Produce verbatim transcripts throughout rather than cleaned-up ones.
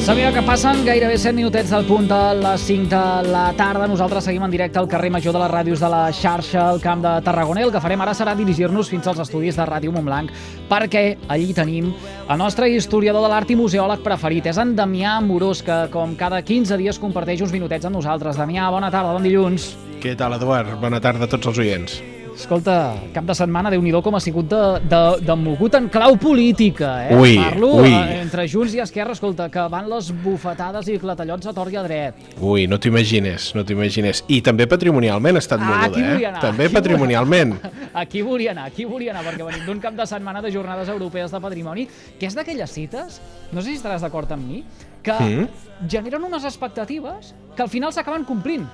Sabia que passen gairebé set minutets del punt de les cinc de la tarda. Nosaltres seguim en directe al carrer Major de les ràdios de la xarxa, al Camp de Tarragona. El que farem ara serà dirigir-nos fins als estudis de Ràdio Montblanc, perquè allí tenim el nostre historiador de l'art i museòleg preferit. És en Damià Amorós, que com cada quinze dies comparteix uns minutets amb nosaltres. Damià, bona tarda, bon dilluns. Què tal, Eduard? Bona tarda a tots els oients. Escolta, cap de setmana, Déu-n'hi-do com ha sigut de, de, de mogut en clau política, eh? Ui, Parlo ui. Eh, entre Junts i Esquerra, escolta, que van les bufetades i clatellots a tort i a dret. Ui, no t'ho imagines, no t'ho imagines. I també patrimonialment ha estat Ah, moguda, aquí eh? volia anar, També aquí patrimonialment. Aquí volia anar, aquí volia anar, perquè venim d'un cap de setmana de jornades europees de patrimoni, que és d'aquelles cites, no sé si estaràs d'acord amb mi, que Mm. generen unes expectatives que al final s'acaben complint.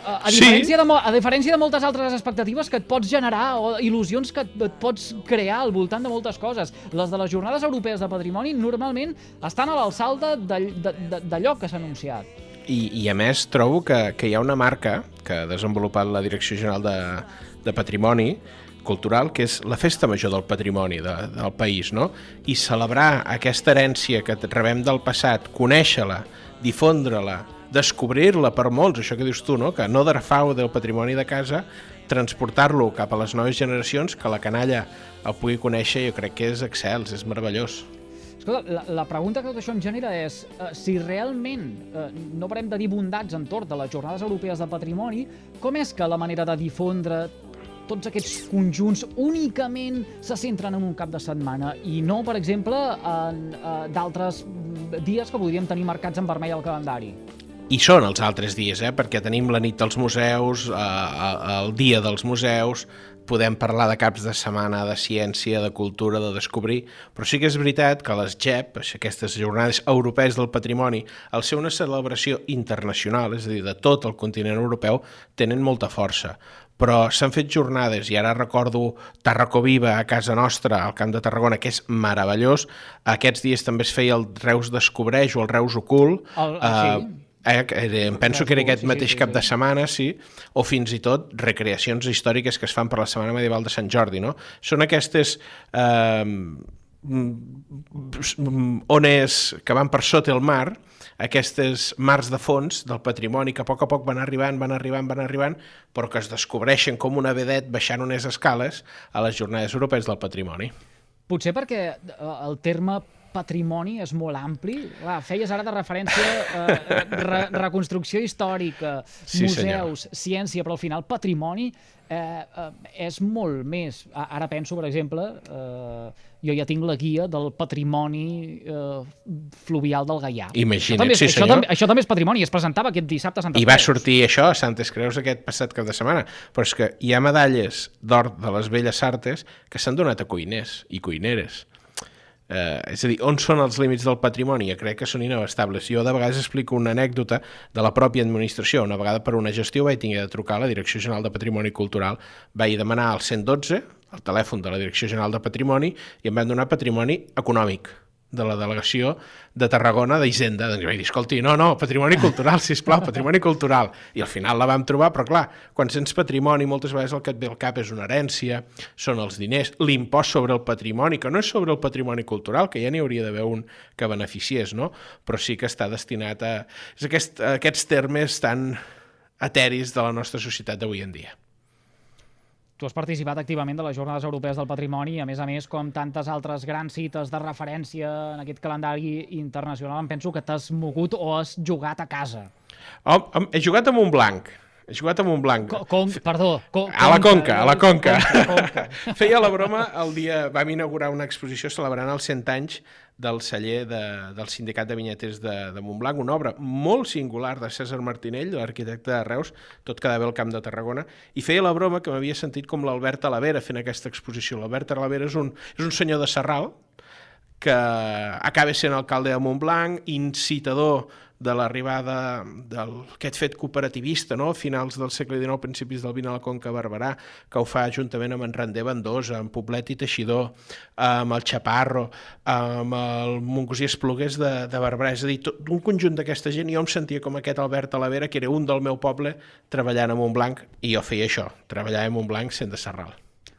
A, a, Sí. diferència de, mo- a diferència de moltes altres expectatives que et pots generar o il·lusions que et, et pots crear al voltant de moltes coses. Les de les jornades europees de patrimoni normalment estan a l'alçada de- de- de- d'allò que s'ha anunciat. I, I a més trobo que, que hi ha una marca que ha desenvolupat la Direcció General de, de Patrimoni Cultural, que és la festa major del patrimoni de, del país, no? I celebrar aquesta herència que rebem del passat, conèixer-la, difondre-la, descobrir-la per molts, això que dius tu, no? Que no derfau del patrimoni de casa, transportar-lo cap a les noves generacions, que la canalla el pugui conèixer, jo crec que és excels, és meravellós. Escolta, la, la pregunta que tot això em genera és eh, si realment eh, no parem de dir bondats entorn de les jornades europees de patrimoni, com és que la manera de difondre tots aquests conjunts únicament se centren en un cap de setmana i no, per exemple, en eh, d'altres dies que podríem tenir marcats en vermell al calendari? I són els altres dies, eh? Perquè tenim la nit dels museus, eh, el dia dels museus, podem parlar de caps de setmana de ciència, de cultura, de descobrir, però sí que és veritat que les G E P, aquestes jornades europees del patrimoni, al ser una celebració internacional, és a dir, de tot el continent europeu, tenen molta força. Però s'han fet jornades, i ara recordo Tarracó Viva a casa nostra, al Camp de Tarragona, que és meravellós. Aquests dies també es feia el Reus Descobreix o el Reus Ocult. El, eh, sí. Eh, em penso que era aquest Sí, sí, mateix sí, cap sí. de setmana, sí, o fins i tot recreacions històriques que es fan per la Setmana Medieval de Sant Jordi, no? Són aquestes eh, ones que van per sota el mar, aquestes mars de fons del patrimoni que a poc a poc van arribant, van arribant, van arribant, però que es descobreixen com una vedet baixant unes escales a les Jornades Europees del Patrimoni. Potser perquè eh, el terme patrimoni és molt ampli. Clar, feies ara de referència eh, re, reconstrucció històrica, Sí, museus, ciència, però al final patrimoni eh, eh, és molt més. A- Ara penso, per exemple, eh, jo ja tinc la guia del patrimoni eh, fluvial del Gaià. Imagina't, això també, és- sí, això, senyor. també, això també és patrimoni, es presentava aquest dissabte a Santes I va Creus. sortir això a Santes Creus aquest passat cap de setmana. Però és que hi ha medalles d'or de les Belles Artes que s'han donat a cuiners i cuineres. Eh, és a dir, on són els límits del patrimoni? Jo crec que són inabastables. Jo de vegades explico una anècdota de la pròpia administració. Una vegada per una gestió vaig tenir de trucar a la Direcció General de Patrimoni Cultural, vaig demanar el cent dotze, el telèfon de la Direcció General de Patrimoni, i em van donar patrimoni econòmic de la delegació de Tarragona d'Hisenda. Doncs vaig dir, escolti, no, no, patrimoni cultural, sisplau, patrimoni cultural. I al final la vam trobar, però clar, quan sents patrimoni, moltes vegades el que et ve al cap és una herència, són els diners, l'impost sobre el patrimoni, que no és sobre el patrimoni cultural, que ja n'hi hauria d'haver un que beneficiés, no? Però sí que està destinat a... És aquest, a aquests termes tan eteris de la nostra societat d'avui en dia. Tu has participat activament de les Jornades Europees del Patrimoni, a més a més, com tantes altres grans cites de referència en aquest calendari internacional, em penso que t'has mogut o has jugat a casa. Oh, he jugat a Montblanc. He jugat a Montblanc. Co com, perdó. Co A la Conca, a la Conca. Conca, Conca. Feia la broma el dia... Vam inaugurar una exposició celebrant els cent anys del celler de, del Sindicat de Vinyaters de, de Montblanc, una obra molt singular de Cèsar Martinell, l'arquitecte de Reus, tot quedava bé al Camp de Tarragona, i feia la broma que m'havia sentit com l'Albert Talavera fent aquesta exposició. L'Albert Talavera és un, és un senyor de Sarral que acaba sent alcalde de Montblanc, incitador de l'arribada d'aquest fet cooperativista, no? A finals del segle dinou, principis del vint a la Conca Barberà, que ho fa juntament amb en Randé Vendosa, amb Poblet i Teixidor, amb el Chaparro, amb el Montgusí Esplugues de, de Barberà. És a dir, tot un conjunt d'aquesta gent, i jo em sentia com aquest Albert Talavera, que era un del meu poble, treballant a Montblanc, i jo feia això, treballar a Montblanc sent de Sarral.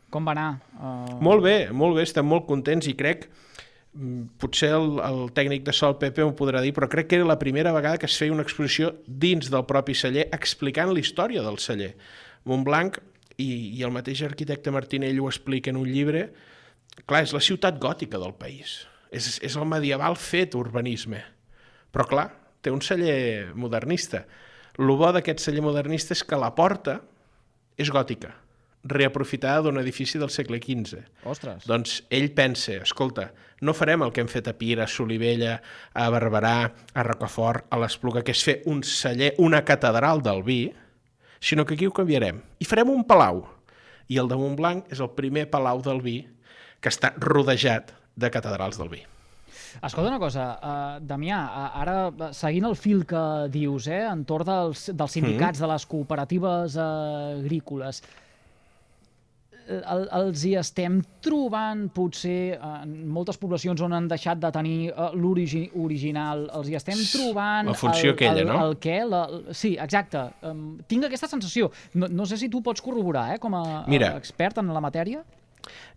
Com va anar? Uh... Molt bé, molt bé, estem molt contents i crec potser el, el tècnic de so, el Pepe, m'ho podrà dir, però crec que era la primera vegada que es feia una exposició dins del propi celler explicant la història del celler. Montblanc, i, i el mateix arquitecte Martinell ho explica en un llibre, clar, és la ciutat gòtica del país. És, és el medieval fet urbanisme. Però clar, té un celler modernista. El bo d'aquest celler modernista és que la porta és gòtica, reaprofitada d'un edifici del segle quinze. Ostres. Doncs ell pensa, escolta, no farem el que hem fet a Pira, a Solivella, a Barberà, a Rocafort, a l'Espluga, que és fer un celler, una catedral del vi, sinó que aquí ho canviarem. I farem un palau. I el de Montblanc és el primer palau del vi que està rodejat de catedrals del vi. Escolta una cosa, uh, Damià, uh, ara seguint el fil que dius, eh, entorn dels, dels sindicats, mm. de les cooperatives uh, agrícoles, el, els hi estem trobant, potser, en moltes poblacions on han deixat de tenir uh, l'origi original, els hi estem trobant... La funció el, aquella, el, no? El què? La, sí, exacte. Um, tinc aquesta sensació. No, no sé si tu pots corroborar, eh, com a Mira, expert en la matèria.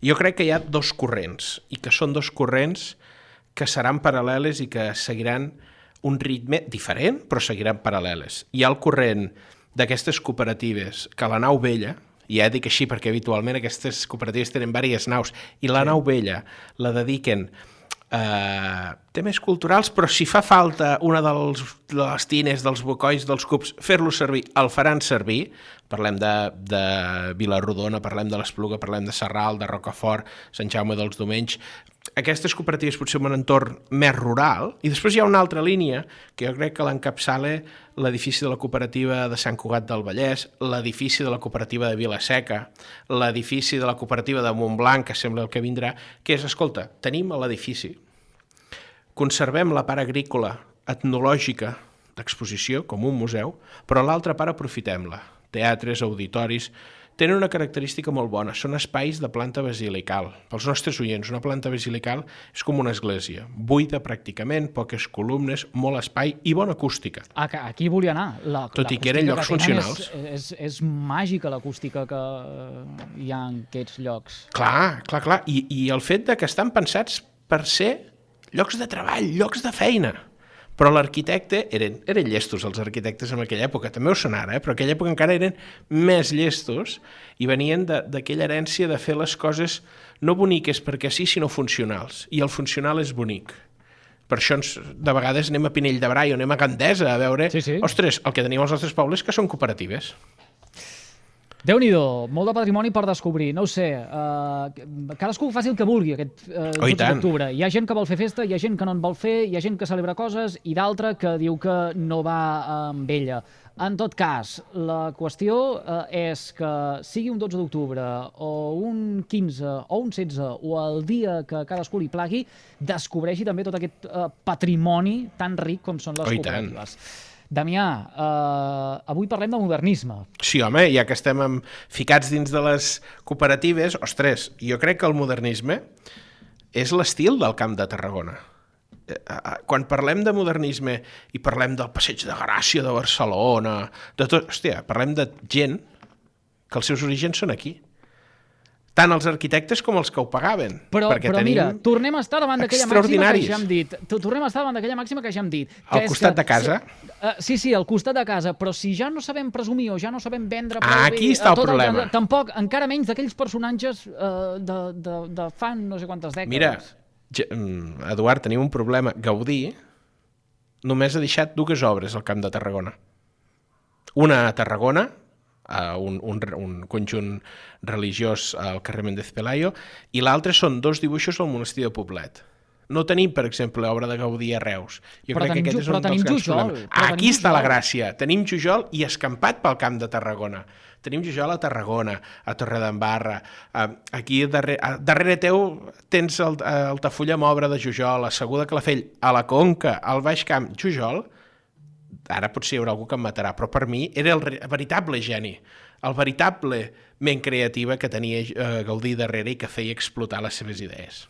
Jo crec que hi ha dos corrents, i que són dos corrents que seran paral·leles i que seguiran un ritme diferent, però seguiran paral·leles. Hi ha el corrent d'aquestes cooperatives que la nau vella, i ja dic així perquè habitualment aquestes cooperatives tenen diverses naus, i la sí. nau vella la dediquen a temes culturals, però si fa falta una dels, de les tines, dels bocois, dels cups, fer-lo servir, el faran servir. Parlem de, de Vilarrodona, parlem de l'Espluga, parlem de Sarral, de Rocafort, Sant Jaume dels Domenys. Aquestes cooperatives potser en un entorn més rural, i després hi ha una altra línia que jo crec que l'encapçala l'edifici de la cooperativa de Sant Cugat del Vallès, l'edifici de la cooperativa de Vilaseca, l'edifici de la cooperativa de Montblanc, que sembla el que vindrà, que és, escolta, tenim l'edifici, conservem la part agrícola, etnològica, d'exposició, com un museu, però l'altra part aprofitem-la. Teatres, auditoris, tenen una característica molt bona, són espais de planta basilical. Pels nostres oients, una planta basilical és com una església, buida pràcticament, poques columnes, molt espai i bona acústica. Aquí volia anar. La, Tot i que eren llocs funcionals. És, és, és màgica l'acústica que hi ha en aquests llocs. Clar, clar, clar. I, i el fet de que estan pensats per ser llocs de treball, llocs de feina. Però l'arquitecte, eren, eren llestos els arquitectes en aquella època, també ho són ara, eh? Però en aquella època encara eren més llestos i venien d'aquella herència de fer les coses no boniques perquè sí, sinó funcionals. I el funcional és bonic. Per això ens, de vegades anem a Pinell de Brai o anem a Gandesa a veure... Sí, sí. Ostres, el que tenim als nostres pobles que són cooperatives. Déu-n'hi-do, molt de patrimoni per descobrir, no ho sé, uh, cadascú faci el que vulgui aquest uh, oh, dotze d'octubre. Hi ha gent que vol fer festa, hi ha gent que no en vol fer, hi ha gent que celebra coses i d'altra que diu que no va amb ella. En tot cas, la qüestió uh, és que sigui un dotze d'octubre o un quinze o un setze o el dia que cadascú li plagui, descobreixi també tot aquest uh, patrimoni tan ric com són les oh, cooperatives. Damià, eh, avui parlem de modernisme. Sí, home, ja que estem amb, ficats dins de les cooperatives, ostres, jo crec que el modernisme és l'estil del Camp de Tarragona. Quan parlem de modernisme i parlem del Passeig de Gràcia de Barcelona, de tot, hòstia, parlem de gent que els seus orígens són aquí. Tant els arquitectes com els que ho pagaven. Però, però mira, tornem a estar davant d'aquella màxima que ja hem dit. Tornem a estar davant d'aquella màxima que ja hem dit. Al costat de casa? Sí, sí, al costat de casa, però si ja no sabem presumir o ja no sabem vendre... Ah, aquí està el problema. Tampoc, encara menys d'aquells personatges de, de, de fa no sé quantes dècades. Mira, Eduard, tenim un problema. Gaudí només ha deixat dues obres al Camp de Tarragona. Una a Tarragona, Uh, un, un, un conjunt religiós al carrer Méndez Pelayo, i l'altre són dos dibuixos al monestir de Poblet. No tenim, per exemple, obra de Gaudí a Reus. Jo però crec tenim, que aquest és un dels grans problemes. Aquí està la gràcia. Tenim Jujol i escampat pel Camp de Tarragona. Tenim Jujol a Tarragona, a Torredembarra. Uh, aquí darrere, uh, darrere teu tens el, uh, Altafulla amb obra de Jujol, a Segur de Calafell, a la Conca, al Baix Camp. Jujol, ara potser hi haurà algú que em matarà, però per mi era el veritable geni, el veritable ment creativa que tenia eh, Gaudí darrere i que feia explotar les seves idees.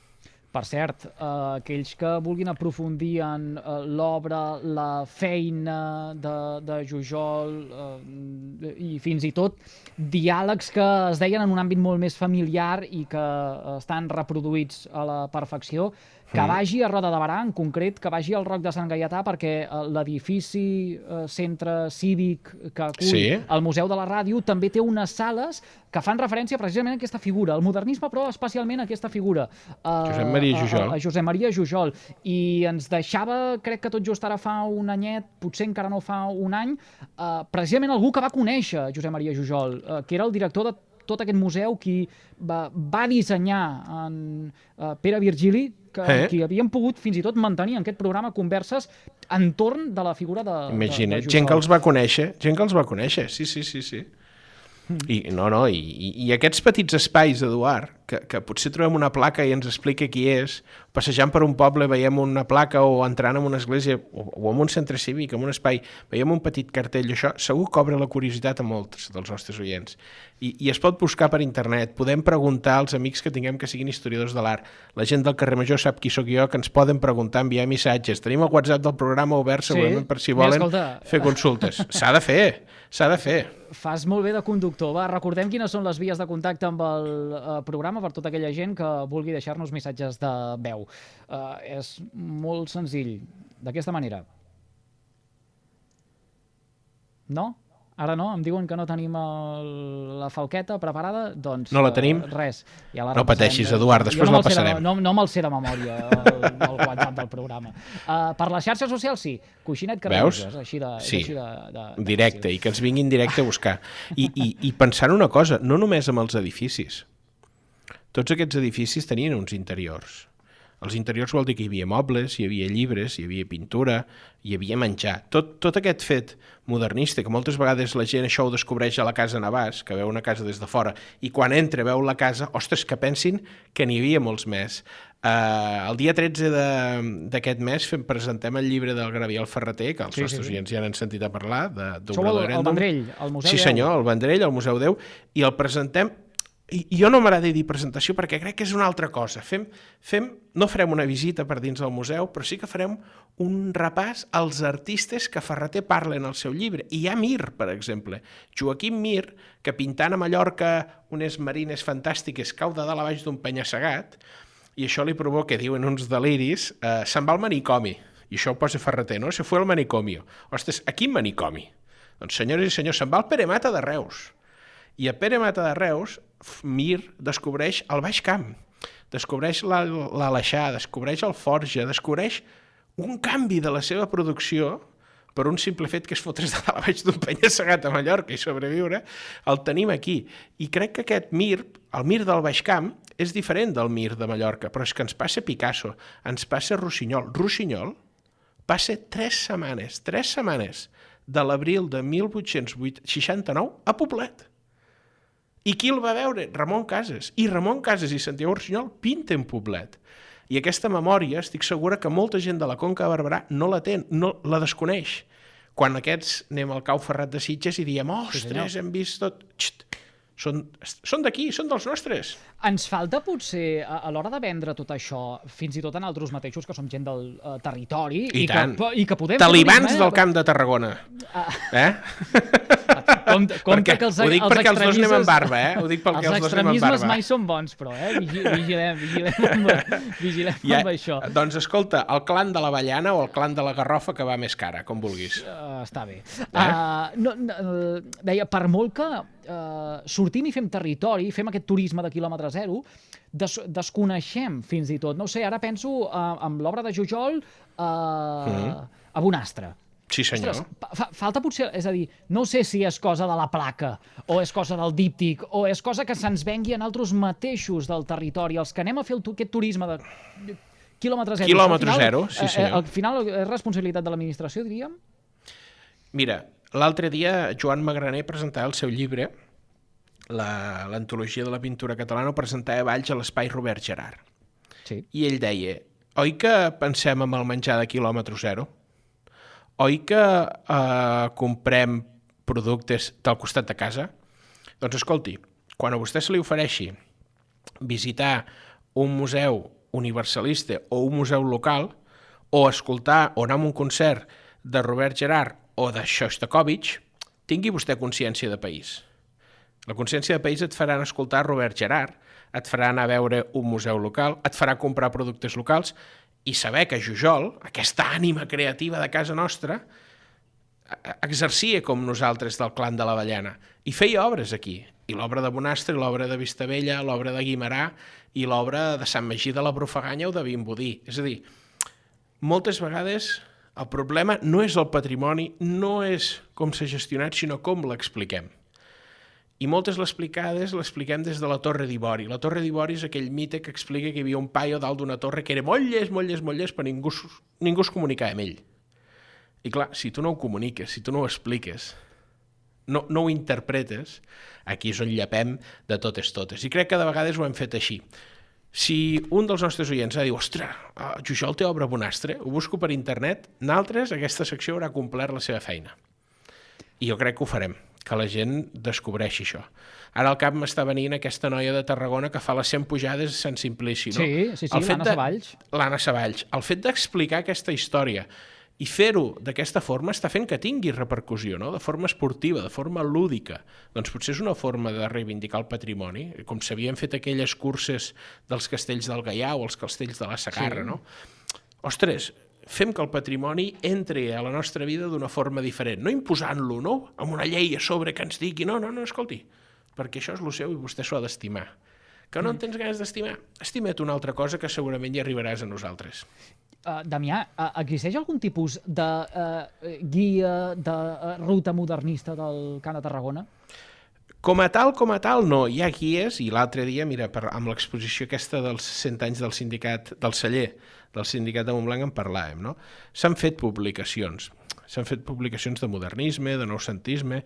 Per cert, eh, aquells que vulguin aprofundir en eh, l'obra, la feina de, de Jujol eh, i fins i tot diàlegs que es deien en un àmbit molt més familiar i que eh, estan reproduïts a la perfecció, que Mm. vagi a Roda de Barà, en concret, que vagi al Roc de Sant Gaietà, perquè eh, l'edifici eh, centre cívic que acull Sí. el Museu de la Ràdio també té unes sales que fan referència precisament a aquesta figura, el modernisme, però especialment a aquesta figura. Eh, Josep Maria Jujol. A, a Josep Maria Jujol. I ens deixava, crec que tot just ara fa un anyet, potser encara no fa un any, eh, precisament algú que va conèixer Josep Maria Jujol, eh, que era el director de tot aquest museu, qui va, va dissenyar en uh, Pere Virgili, que, Eh? qui havien pogut fins i tot mantenir en aquest programa converses entorn de la figura de, Imagina't, de, de Jujol. gent que els va conèixer, gent que els va conèixer, sí, sí, sí, sí. I, no, no, i, i, i aquests petits espais, Eduard, que, que potser trobem una placa i ens explica qui és, passejant per un poble veiem una placa o entrant en una església o, o en un centre cívic, en un espai, veiem un petit cartell, això segur que obre la curiositat a molts dels nostres oients. I, i es pot buscar per internet, podem preguntar als amics que tinguem que siguin historiadors de l'art, la gent del carrer Major sap qui sóc jo, que ens poden preguntar, enviar missatges, tenim el WhatsApp del programa obert segurament Sí. per si Mira, volen escolta. fer consultes. S'ha de fer, s'ha de fer. Fas molt bé de conductor. Va, recordem quines són les vies de contacte amb el uh, programa per tota aquella gent que vulgui deixar-nos missatges de veu. Uh, és molt senzill. D'aquesta manera. No? Ara no? Em diuen que no tenim el, la falqueta preparada? Doncs No la tenim? Uh, res. Ja la No repassarem. pateixis, Eduard, després Jo no la me'l sé de- passarem. No, no me'l sé de memòria, el, el WhatsApp del programa. Uh, per les xarxes socials, sí. Coixinet que Veus? és així de, és Sí. així de, de, de Directe, fàcil. i que ens vinguin directe a buscar. I, i, i pensant una cosa, no només amb els edificis. Tots aquests edificis tenien uns interiors. Els interiors vol dir que hi havia mobles, hi havia llibres, hi havia pintura, hi havia menjar. Tot, tot aquest fet modernista, que moltes vegades la gent això ho descobreix a la casa Navàs, que veu una casa des de fora, i quan entra veu la casa, ostres, que pensin que n'hi havia molts més. Uh, el dia tretze d'aquest mes fem, presentem el llibre del Gabriel Ferreter, que els Sí, sí, nostres sí. oients ja n'han sentit a parlar, de, Sou el, el Vendrell, el Museu Sí Deu. senyor, el Vendrell, el Museu Deu, i el presentem. I jo no m'agrada dir presentació perquè crec que és una altra cosa. Fem, fem, no farem una visita per dins del museu, però sí que farem un repàs als artistes que Ferreter parla en el seu llibre. I hi ha Mir, per exemple. Joaquim Mir, que pintant a Mallorca unes marines fantàstiques cau de dalt a baix d'un penya-segat, i això li provoca, diuen uns deliris, eh, se'n va al manicomi. I això ho posa Ferreter, no? Se fue al manicomio. Ostres, a quin manicomi? Doncs, senyores i senyors, se'n va al Pere Mata de Reus. I a Pere Mata de Reus, Mir descobreix el Baix Camp, descobreix l'Aleixar, descobreix el Forja, descobreix un canvi de la seva producció per un simple fet que és fotre's de dalt a baix d'un penya-segat a Mallorca i sobreviure, el tenim aquí. I crec que aquest Mir, el Mir del Baix Camp, és diferent del Mir de Mallorca, però és que ens passa Picasso, ens passa Rossinyol. Rossinyol passa tres setmanes, tres setmanes de l'abril de mil vuit-cents seixanta-nou a Poblet. I qui el va veure? Ramon Casas. I Ramon Casas i Santiago Rossinyol pinten Poblet. I aquesta memòria, estic segura que molta gent de la Conca de Barberà no la té, no la desconeix. Quan aquests anem al Cau Ferrat de Sitges i diem, ostres, Sí, hem vist tot... Xt, són, són d'aquí, són dels nostres. Ens falta, potser, a, a l'hora de vendre tot això, fins i tot en altres mateixos, que som gent del uh, territori, I, i, tant. que, i que podem... Talibans fer turisme, del Camp de Tarragona. Ah. Eh? Compte, compte perquè, que els, ho dic els perquè els dos anem extremismes- amb barba, eh? Ho dic perquè els, els dos anem amb extremismes barba. mai són bons, però, eh? Vigi- Vigilem, vigilem amb, vigilem Ja, amb això. doncs escolta, el clan de l'avellana o el clan de la garrofa que va més cara, com vulguis. Uh, està bé. Uh, no, no, uh, deia, per molt que uh, sortim i fem territori, fem aquest turisme de quilòmetre zero, des, desconeixem fins i tot. No ho sé, ara penso uh, amb l'obra de Jujol uh, Mm. a Bonastre. Sí, senyor. Ostres, fa, falta potser, és a dir, no sé si és cosa de la placa, o és cosa del díptic, o és cosa que se'ns vengui en altres mateixos del territori, els que anem a fer el, tu- aquest turisme de quilòmetre zero. Quilòmetre Al final, zero, sí, eh, senyor. Al final és responsabilitat de l'administració, diríem? Mira, l'altre dia Joan Magraner presentava el seu llibre, la- l'antologia de la pintura catalana, ho presentava a Valls a l'Espai Robert Gerard. Sí. I ell deia, oi que pensem en el menjar de quilòmetre zero? Oi que eh, comprem productes del costat de casa? Doncs escolti, quan a vostè se li ofereixi visitar un museu universalista o un museu local, o escoltar o anar a un concert de Robert Gerhard o de Shostakovich, tingui vostè consciència de país. La consciència de país et farà escoltar Robert Gerhard, et farà anar a veure un museu local, et farà comprar productes locals i saber que Jujol, aquesta ànima creativa de casa nostra, exercia com nosaltres del clan de l'Avellana i feia obres aquí. I l'obra de Bonastre, l'obra de Vistabella, l'obra de Guimerà i l'obra de Sant Magí de la Brufaganya o de Vimbodí. És a dir, moltes vegades el problema no és el patrimoni, no és com s'ha gestionat, sinó com l'expliquem. I moltes l'explicades l'expliquem des de la Torre d'Ivori. La Torre d'Ivori és aquell mite que explica que hi havia un paio dalt d'una torre que era molt llest, molt llest, molt llest, però ningú, ningú es comunicava amb ell. I clar, si tu no ho comuniques, si tu no ho expliques, no, no ho interpretes, aquí és on llepem de totes totes. I crec que de vegades ho hem fet així. Si un dels nostres oients ha dit, ostres, Jujol té obra Bonastre, ho busco per internet, nosaltres aquesta secció haurà complert la seva feina. I jo crec que ho farem, que la gent descobreixi això. Ara al cap m'està venint aquesta noia de Tarragona que fa les cent pujades a Sant Simplici, no? Sí, sí, sí, l'Anna Savalls. L'Anna Savalls. El fet d'explicar aquesta història i fer-ho d'aquesta forma està fent que tingui repercussió, no? De forma esportiva, de forma lúdica. Doncs potser és una forma de reivindicar el patrimoni, com s'havien fet aquelles curses dels castells del Gaià o els castells de la Segarra, sí. No? Ostres, fem que el patrimoni entri a la nostra vida d'una forma diferent, no imposant-lo, no? Amb una llei a sobre que ens digui, no, no, no, escolti, perquè això és el seu i vostè s'ho ha d'estimar. Que no en tens ganes d'estimar? Estima't una altra cosa que segurament hi arribaràs a nosaltres. Uh, Damià, uh, existeix algun tipus de uh, guia de uh, ruta modernista del Camp de Tarragona? Com a tal, com a tal, no. Hi ha guies, i l'altre dia, mira, per, amb l'exposició aquesta dels cent anys del sindicat, del celler, del sindicat de Montblanc en parlàvem, no? S'han fet publicacions. S'han fet publicacions de modernisme, de noucentisme,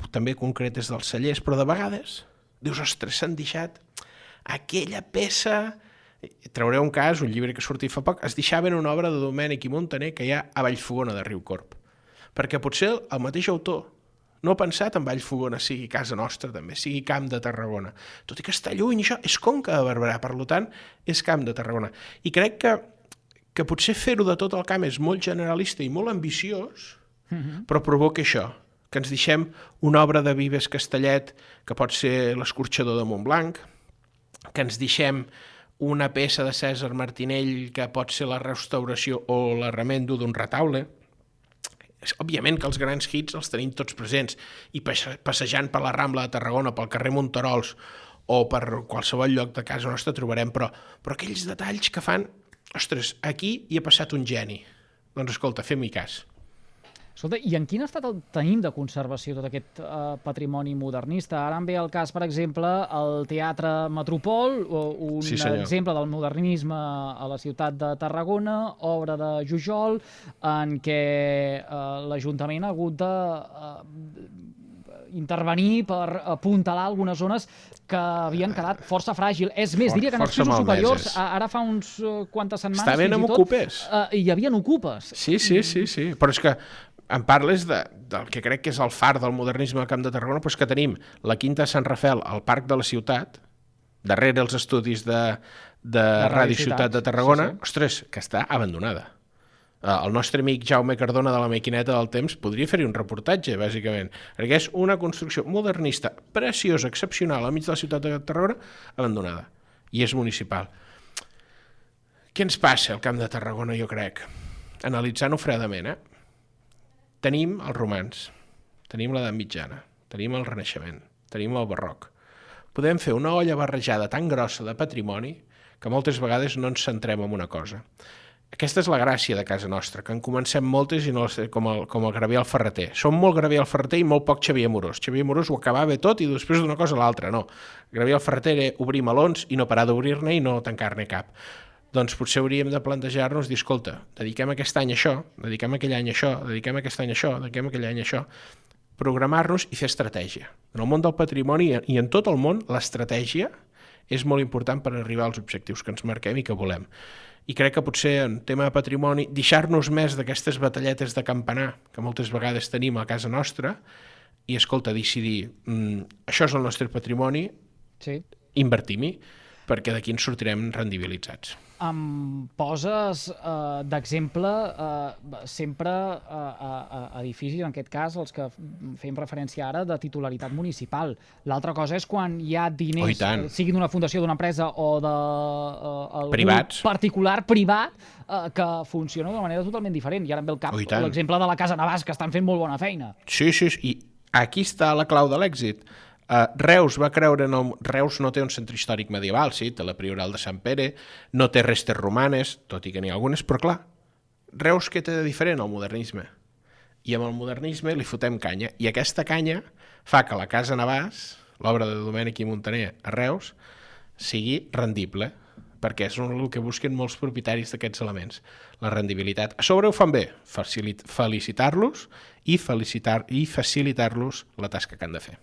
també concretes dels cellers, però de vegades dius, ostres, s'han deixat aquella peça... Trauré un cas, un llibre que sortia fa poc, es deixaven una obra de Domènec i Montaner que hi ha a Vallfogona de Riucorb. Perquè potser el mateix autor no ha pensat en Vallfogona sigui casa nostra també, sigui Camp de Tarragona. Tot i que està lluny, això és Conca de Barberà, per tant, és Camp de Tarragona. I crec que, que potser fer-ho de tot el camp és molt generalista i molt ambiciós, uh-huh. però provoca això, que ens deixem una obra de Vives Castellet, que pot ser l'escorxador de Montblanc, que ens deixem una peça de Cèsar Martinell que pot ser la restauració o l'arremendo d'un retaule. Òbviament que els grans hits els tenim tots presents i passejant per la Rambla de Tarragona, pel carrer Monterols o per qualsevol lloc de casa nostra trobarem, però, però aquells detalls que fan, ostres, aquí hi ha passat un geni. Doncs escolta, fem-hi cas. Escolta, i en quin estat el tenim de conservació tot aquest uh, patrimoni modernista? Ara em ve el cas, per exemple, el Teatre Metropol, un sí, exemple del modernisme a la ciutat de Tarragona, obra de Jujol, en què uh, l'Ajuntament ha hagut de uh, intervenir per apuntalar algunes zones que havien quedat força fràgil. És més, diria que en els pisos superiors, ara fa uns quantes setmanes, estaven amb ocupes. Uh, hi havia ocupes. Sí, sí, sí, sí. Però és que em parles de, del que crec que és el far del modernisme al Camp de Tarragona, doncs que tenim la Quinta de Sant Rafel al Parc de la Ciutat, darrere els estudis de, de, de Ràdio Ciutat, Ciutat de Tarragona, sí, sí. Ostres, que està abandonada. El nostre amic Jaume Cardona de la Maquineta del Temps podria fer-hi un reportatge, bàsicament, perquè és una construcció modernista, preciosa, excepcional, al mig de la ciutat de Tarragona, abandonada, i és municipal. Què ens passa al Camp de Tarragona, jo crec? Analitzant-ho fredament, eh? Tenim els romans, tenim l'edat mitjana, tenim el Renaixement, tenim el barroc. Podem fer una olla barrejada tan grossa de patrimoni que moltes vegades no ens centrem en una cosa. Aquesta és la gràcia de casa nostra, que en comencem moltes i no com el, com el Gabriel Ferreter. Som molt Gabriel Ferreter i molt poc Xavier Amorós. Xavier Amorós ho acabava tot i després d'una cosa a l'altra, no. Gabriel Ferreter era obrir melons i no parar d'obrir-ne i no tancar-ne cap. Doncs potser hauríem de plantejar-nos dir, escolta, dediquem aquest any a això, dediquem aquell any a això, dediquem aquest any a això, dediquem aquell any a això, programar-nos i fer estratègia. En el món del patrimoni i en tot el món, l'estratègia és molt important per arribar als objectius que ens marquem i que volem. I crec que potser en tema de patrimoni, deixar-nos més d'aquestes batalletes de campanar que moltes vegades tenim a casa nostra i, escolta, decidir, mm, això és el nostre patrimoni, sí. Invertim-hi. perquè d'aquí ens sortirem rendibilitzats. Em poses eh, d'exemple eh, sempre eh, a, a edificis, en aquest cas els que fem referència ara, de titularitat municipal. L'altra cosa és quan hi ha diners, Oh, eh, sigui d'una fundació, d'una empresa o de eh, Privats. particular, privat, eh, que funciona d'una manera totalment diferent. I ara em ve el cap Oh, i tant. l'exemple de la Casa Navàs, que estan fent molt bona feina. Sí, sí, sí, i aquí està la clau de l'èxit. Uh, Reus va creure en el... Reus no té un centre històric medieval, sí, té la Prioral de Sant Pere, no té restes romanes, tot i que n'hi ha algunes, però clar, Reus què té de diferent al modernisme? I amb el modernisme li fotem canya, i aquesta canya fa que la Casa Navàs, l'obra de Domènech i Montaner a Reus, sigui rendible, perquè és el que busquen molts propietaris d'aquests elements, la rendibilitat. A sobre ho fan bé, felicitar-los i, felicitar, i facilitar-los la tasca que han de fer.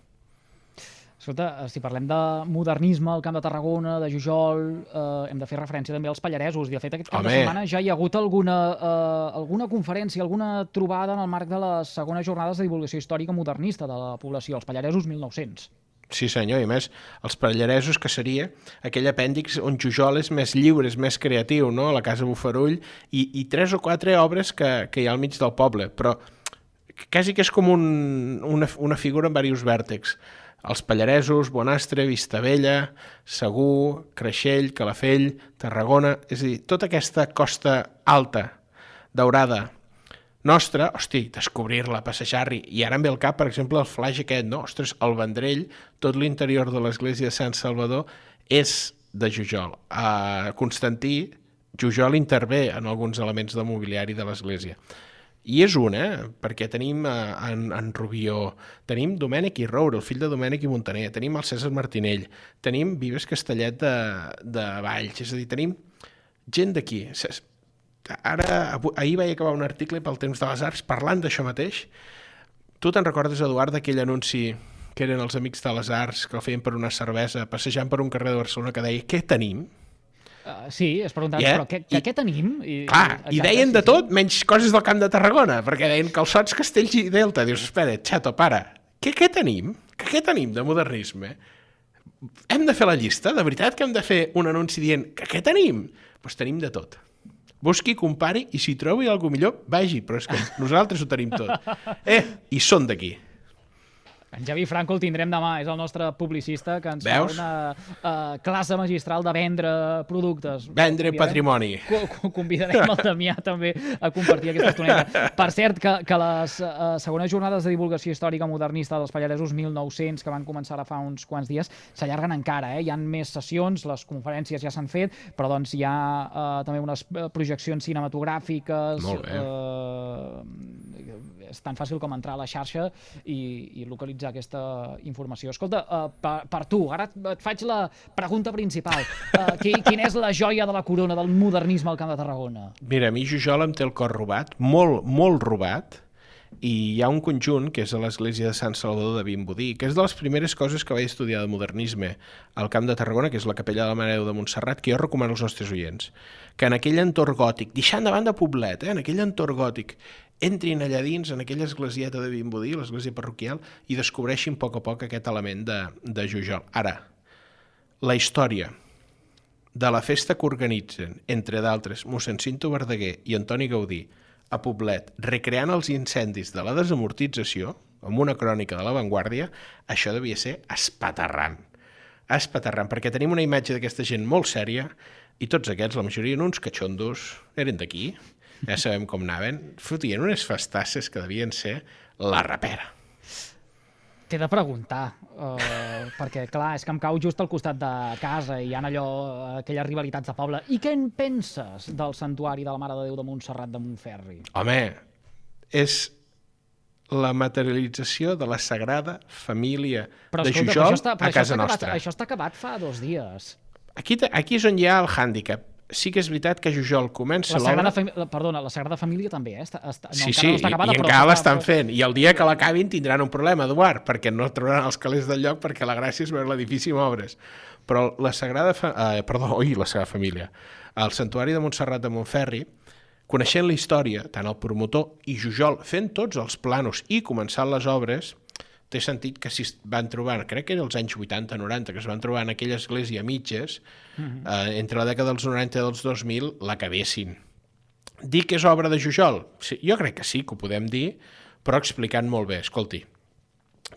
Escolta, si parlem de modernisme al Camp de Tarragona, de Jujol, eh, hem de fer referència també als pallaresos. I de fet, aquest cap Home. de setmana ja hi ha hagut alguna, eh, alguna conferència, alguna trobada en el marc de les segones jornades de divulgació històrica modernista de la població, els pallaresos mil nou-cents. Sí senyor, i a més, els pallaresos, que seria aquell apèndix on Jujol és més lliure, és més creatiu, no? La Casa Bufarull, i, i tres o quatre obres que, que hi ha al mig del poble, però quasi que és com un, una, una figura amb diversos vèrtexs. Els pallaresos, Bonastre, Vistabella, Segur, Creixell, Calafell, Tarragona, és a dir, tota aquesta costa alta, daurada, nostra, hosti, descobrir-la, passejar-hi, i ara em ve al cap, per exemple, el flaix aquest, no? Ostres, el Vendrell, tot l'interior de l'església de Sant Salvador és de Jujol. A Constantí, Jujol intervé en alguns elements de mobiliari de l'església. I és un, eh? Perquè tenim en, en Rubió, tenim Domènech i Roure, el fill de Domènech i Montaner, tenim el Cèsar Martinell, tenim Vives Castellet de, de Valls, és a dir, tenim gent d'aquí. Ara, ahir vaig acabar un article pel Temps de les Arts parlant d'això mateix. Tu te'n recordes, Eduard, d'aquell anunci que eren els Amics de les Arts, que el feien per una cervesa, passejant per un carrer de Barcelona, que deia, què tenim? Uh, sí, es preguntaven, yeah. però què, què, I, què tenim? I, clar, exacte, i deien sí, de tot, sí. menys coses del Camp de Tarragona, perquè deien calçots, castells i delta. Dius, espera, xato, para, què, què tenim? Què, què tenim de modernisme? Hem de fer la llista? De veritat que hem de fer un anunci dient que què tenim? Doncs pues tenim de tot. Busqui, compari, i si trobi alguna millor, vagi, però és que nosaltres ho tenim tot. Eh, i són d'aquí. En Javi Franco el tindrem demà, és el nostre publicista que ens Veus? fa una uh, classe magistral de vendre productes. Vendre patrimoni. Co convidarem el Damià també a compartir aquesta estoneta. Per cert, que, que les uh, segones jornades de divulgació històrica modernista dels pallaresos mil nou-cents, que van començar ara fa uns quants dies, s'allarguen encara. Eh? Hi ha més sessions, les conferències ja s'han fet, però doncs hi ha uh, també unes projeccions cinematogràfiques. Molt bé. Uh, és tan fàcil com entrar a la xarxa i, i localitzar aquesta informació. Escolta, uh, per, per tu, ara et faig la pregunta principal. Uh, qui, quina és la joia de la corona del modernisme al Camp de Tarragona? Mira, a mi Jujol em té el cor robat, molt, molt robat, i hi ha un conjunt, que és a l'església de Sant Salvador de Vimbodí, que és de les primeres coses que vaig estudiar de modernisme al Camp de Tarragona, que és la capella de la Mare de Déu de Montserrat, que jo recomano als nostres oients, que en aquell entorn gòtic, deixant de banda Poblet, eh, en aquell entorn gòtic, entrin allà dins, en aquella esglesieta de Vimbodí, l'església parroquial, i descobreixin a poc a poc aquest element de, de Jujol. Ara, la història de la festa que organitzen, entre d'altres, mossèn Cinto Verdaguer i Antoni Gaudí, a Poblet, recreant els incendis de la desamortització, amb una crònica de l'avantguàrdia, això devia ser espaterrant. Espaterrant, perquè tenim una imatge d'aquesta gent molt sèria, i tots aquests, la majoria, uns catxondos, eren d'aquí, ja sabem com anaven, fotien unes festasses que devien ser la rapera. T'he de preguntar, uh, perquè clar, és que em cau just al costat de casa i hi ha allò, aquelles rivalitats de poble. I què en penses del santuari de la Mare de Déu de Montserrat de Montferri? Home, és la materialització de la Sagrada Família però, de escolta, Jujol està, a casa acabat, nostra. Això està acabat fa dos dies. Aquí, aquí és on hi ha el hàndicap. Sí que és veritat que Jujol comença l'obra... La, perdona, la Sagrada Família també, eh? Està, està, no, sí, sí, no està acabada, i, i encara l'estan fent. I el dia que l'acabin tindran un problema, Eduard, perquè no trobaran els calés del lloc, perquè la gràcia és veure l'edifici en obres. Però la Sagrada... Fa... Eh, perdó, oi, la Sagrada Família. El Santuari de Montserrat de Montferri, coneixent la història, tant el promotor i Jujol fent tots els planos i començant les obres, té sentit que si es van trobar, crec que era els anys vuitanta noranta, que es van trobar en aquella església a mitges, uh-huh. eh, entre la dècada dels noranta i dels dos mil, l'acabessin. Dir que és obra de Jujol? Sí, jo crec que sí, que ho podem dir, però explicant molt bé. Escolti,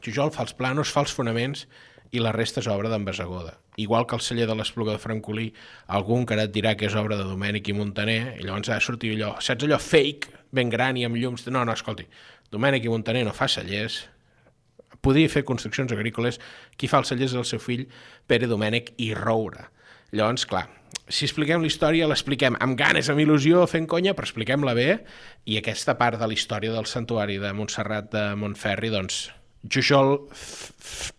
Jujol fa els planos, fa els fonaments i la resta és obra d'en Bassegoda. Igual que el celler de l'Espluga de Francolí, algú encara et dirà que és obra de Domènec i Montaner, i llavors ha de sortir allò, saps allò fake, ben gran i amb llums... No, no, escolti, Domènec i Montaner no fa cellers, podia fer construccions agrícoles, qui fa els cellers és el seu fill, Pere Domènec i Roure. Llavors, clar, si expliquem la història, l'expliquem amb ganes, amb il·lusió, fent conya, però expliquem-la bé, i aquesta part de la història del santuari de Montserrat de Montferri, doncs, Jujol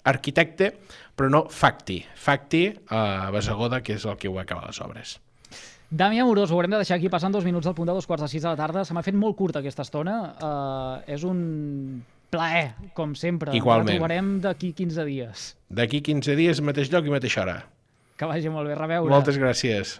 arquitecte, però no facti. Facti a Bassegoda, que és el que ho acaba les obres. Damià Amorós, ho haurem de deixar aquí passant dos minuts al punt de dos quarts de sis de la tarda. Se m'ha fet molt curta aquesta estona. Uh, és un plaer, com sempre. Igualment. La trobarem d'aquí quinze dies. D'aquí quinze dies, mateix lloc i mateixa hora. Que vagi molt bé, reveure. Moltes gràcies.